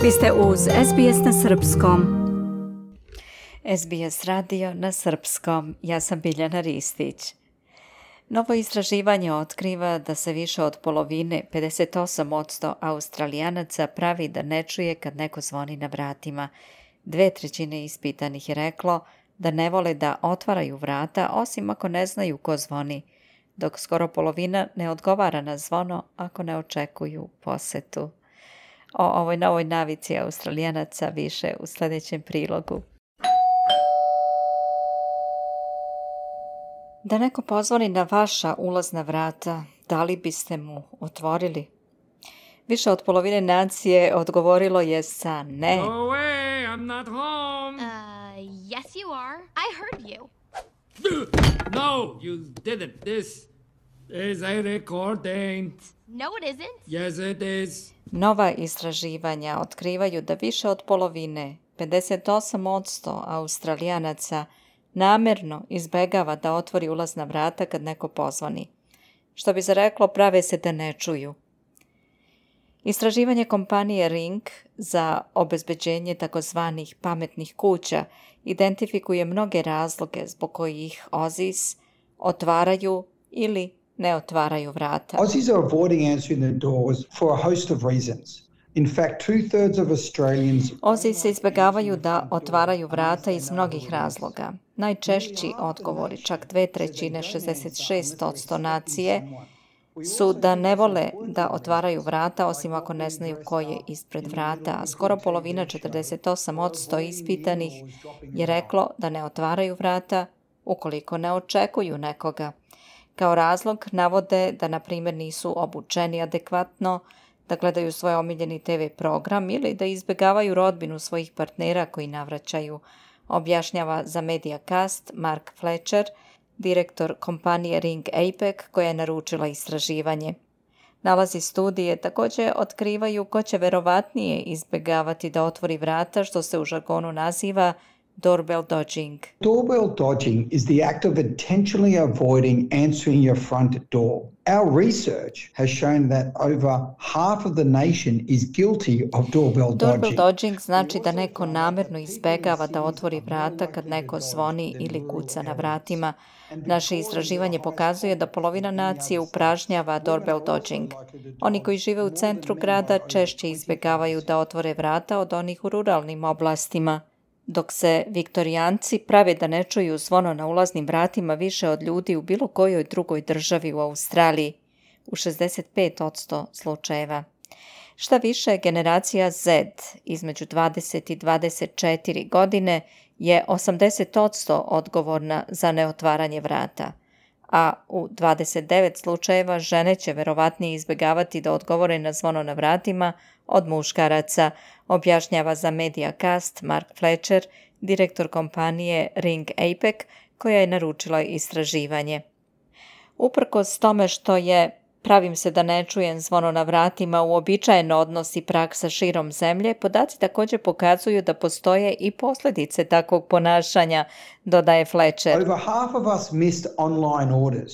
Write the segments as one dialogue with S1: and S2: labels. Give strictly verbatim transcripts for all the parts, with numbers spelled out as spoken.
S1: Vi ste uz S B S na srpskom. S B S radio na srpskom. Ja sam Biljana Ristić. Novo istraživanje otkriva da se više od polovine, pedeset osam posto Australijanaca pravi da ne čuje kad neko zvoni na vratima. Dve trećine ispitanih je reklo da ne vole da otvaraju vrata, osim ako ne znaju ko zvoni, dok skoro polovina ne odgovara na zvono ako ne očekuju posetu. O ovoj novoj navici Australijanaca više u sljedećem prilogu. Da neko pozvoni na vaša ulazna vrata, da li biste mu otvorili? Više od polovine nacije odgovorilo je sa ne.
S2: Go away, I'm not home.
S3: Uh, yes you are. I heard you.
S2: No, you didn't. This is a recording.
S3: No it isn't.
S2: Yes, it is.
S1: Nova istraživanja otkrivaju da više od polovine, pedeset osam posto Australijanaca, namjerno izbegava da otvori ulazna vrata kad neko pozvoni. Što bi se reklo, prave se da ne čuju. Istraživanje kompanije Ring za obezbeđenje takozvanih pametnih kuća identifikuje mnoge razloge zbog kojih Aussies otvaraju ili ne otvaraju vrata.
S4: Aussies are avoiding answering their doors for a host of reasons. In fact, two-thirds of Australians...
S1: Aussies se izbjegavaju da otvaraju vrata iz mnogih razloga. Najčešći odgovori, čak dve trećine, šezdeset šest posto nacije, su da ne vole da otvaraju vrata, osim ako ne znaju ko je ispred vrata, a skoro polovina, četrdeset osam posto ispitanih, je reklo da ne otvaraju vrata ukoliko ne očekuju nekoga. Kao razlog navode da, na primjer, nisu obučeni adekvatno, da gledaju svoj omiljeni te ve program ili da izbjegavaju rodbinu svojih partnera koji navraćaju, objašnjava za Mediacast Mark Fletcher, direktor kompanije Ring A P E C koja je naručila istraživanje. Nalazi studije također otkrivaju ko će verovatnije izbjegavati da otvori vrata, što se u žargonu naziva doorbell dodging.
S4: Doorbell dodging is the act of intentionally avoiding answering your front door. Our research has shown that over half of the nation is guilty of doorbell dodging.
S1: Doorbell dodging znači da neko namjerno izbegava da otvori vrata kad neko zvoni ili kuca na vratima. Naše istraživanje pokazuje da polovina nacije upražnjava doorbell dodging. Oni koji žive u centru grada češće izbjegavaju da otvore vrata od onih u ruralnim oblastima. Dok se Viktorijanci prave da ne čuju zvono na ulaznim vratima više od ljudi u bilo kojoj drugoj državi u Australiji, u šezdeset pet posto slučajeva. Šta više, generacija Z između dvadeset i dvadeset četiri godine je osamdeset posto odgovorna za neotvaranje vrata, a u dvadeset devet slučajeva žene će verovatnije izbjegavati da odgovore na zvono na vratima od muškaraca, objašnjava za Mediacast Mark Fletcher, direktor kompanije Ring A P E C koja je naručila istraživanje. Uprkos tome što je pravim se da ne čujem zvono na vratima uobičajen odnos i praksa širom zemlje, podaci također pokazuju da postoje i posljedice takvog ponašanja, dodaje Fletcher.
S4: Over half of us missed online orders,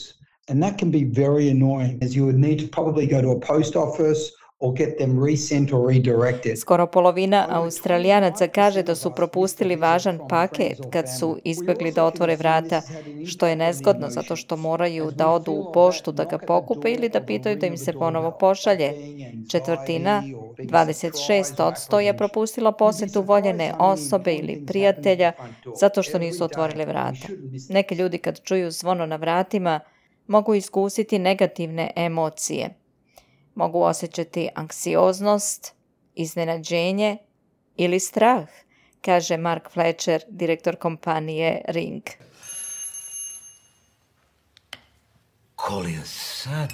S4: and that can be very annoying, as you would need to probably go to a post office or get them resent or redirected.
S1: Skoro polovina Australijanaca kaže da su propustili važan paket kad su izbjegli da otvore vrata, što je nezgodno zato što moraju da odu u poštu da ga pokupe ili da pitaju da im se ponovo pošalje. Četvrtina, dvadeset šest posto, je propustila posjetu voljene osobe ili prijatelja zato što nisu otvorili vrata. Neki ljudi kad čuju zvono na vratima mogu iskusiti negativne emocije. Mogu osjećati anksioznost, iznenađenje ili strah, kaže Mark Fletcher, direktor kompanije Ring.
S5: Koli je sad?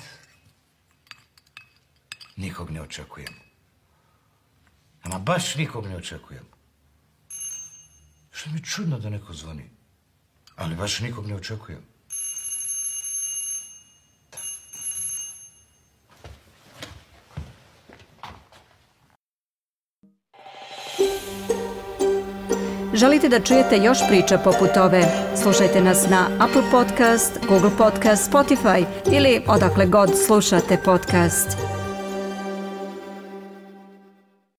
S5: Nikog ne očekujem. Ama baš nikog ne očekujem. Što mi je čudno da neko zvoni, ali baš nikog ne očekujem.
S1: Želite da čujete još priča poput ove? Slušajte nas na Apple Podcast, Google Podcast, Spotify ili odakle god slušate podcast.